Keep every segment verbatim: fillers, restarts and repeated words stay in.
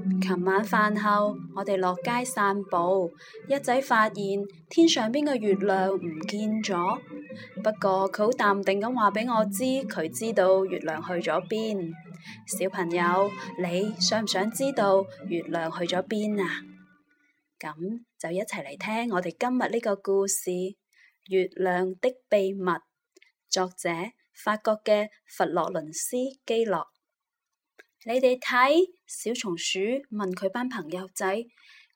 琴晚飯後，我哋落街散步，一仔發現天上邊嘅月亮唔見咗。不過佢好淡定咁話俾我知，佢知道月亮去咗邊。小朋友，你想唔想知道月亮去咗邊啊？咁就一齊嚟聽我哋今日呢個故事《月亮的秘密》，作者法國嘅佛羅倫斯基洛。你哋睇，小松鼠問佢班朋友仔，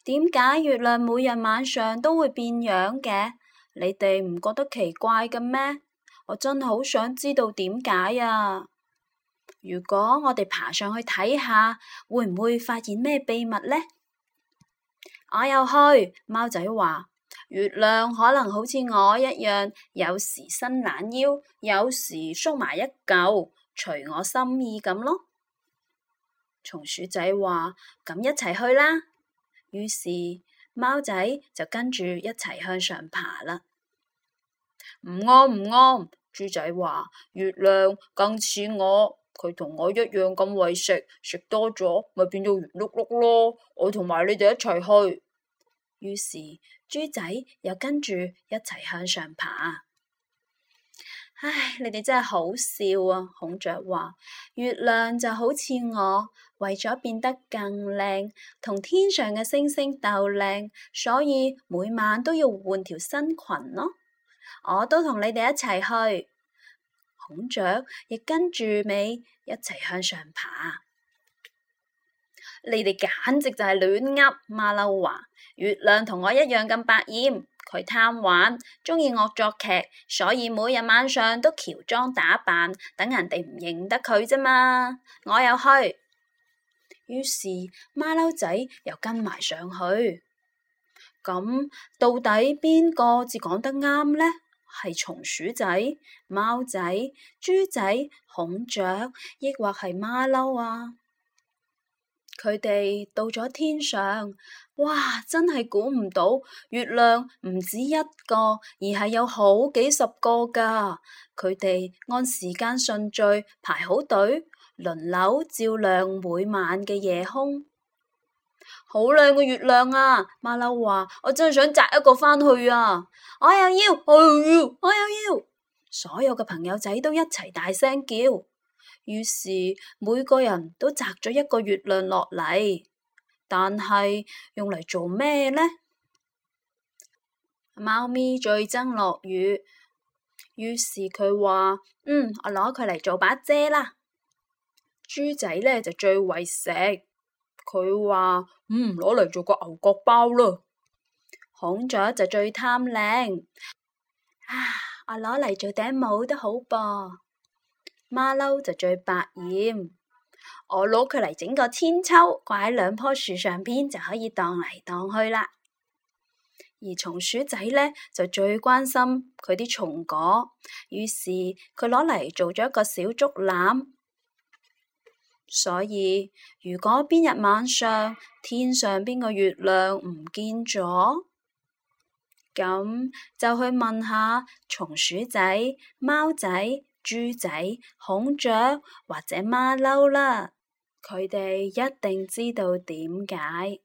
點解月亮每日晚上都會變樣嘅？你哋唔覺得奇怪嘅咩？我真係好想知道點解啊！如果我哋爬上去睇下，會唔會發現咩秘密呢？我又去，貓仔話，月亮可能好似我一樣，有時伸懶腰，有時縮埋一嚿，隨我心意咁咯。松鼠仔話，咁一齊去啦。於是貓仔就跟住一齊向上爬啦。唔啱唔啱，豬仔話，月亮更似我，佢同我一樣咁為食，食多咗咪變到圓碌碌咯。我同埋你哋一齊去。於是豬仔又跟住一齊向上爬。唉，你哋真係好笑啊！孔雀話，月亮就好似我，為咗變得更靚，同天上嘅星星鬥靚，所以每晚都要換條新裙咯。我都同你哋一齊去。孔雀亦跟住尾一齊向上爬。你哋簡直就係亂噏，馬騮話，月亮同我一樣咁百厭。佢貪玩，鍾意惡作劇，所以每日晚上都喬裝打扮，等人哋唔認得佢啫嘛。我又去，於是馬騮仔又跟埋上去。咁到底邊個至講得啱呢？係松鼠仔、貓仔、豬仔、孔雀，抑或係馬騮啊？佢哋到咗天上，哇！真係估唔到，月亮唔止一個，而係有好幾十個㗎。佢哋按時間順序排好隊，輪流照亮每晚嘅夜空。好靚嘅月亮啊！馬騮話，我真係想摘一個返去啊！我又要，我又要，我又要！所有嘅朋友仔都一齊大聲叫。於是每個人都摘咗一個月亮落嚟，但係用嚟做咩呢？貓咪最憎落雨，於是佢話，嗯，我攞佢嚟做把遮啦。豬仔呢就最為食，佢話，嗯，攞嚟做個牛角包啦。孔雀就最貪靚，啊，我攞嚟做頂帽都好噃。馬騮就最百厭，我攞佢嚟整個千秋，掛喺兩棵樹上邊就可以蕩嚟蕩去啦。而松鼠仔呢，就最關心佢啲松果，於是佢攞嚟做咗一個小竹籃。所以如果邊日晚上天上邊個月亮唔見咗，咁就去問下松鼠仔、貓仔、豬仔、孔雀或者馬騮啦，佢哋一定知道點解。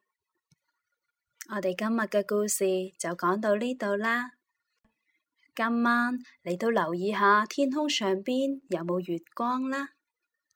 我哋今日嘅故事就講到呢度啦。今晚你都留意下天空上邊有冇月光啦。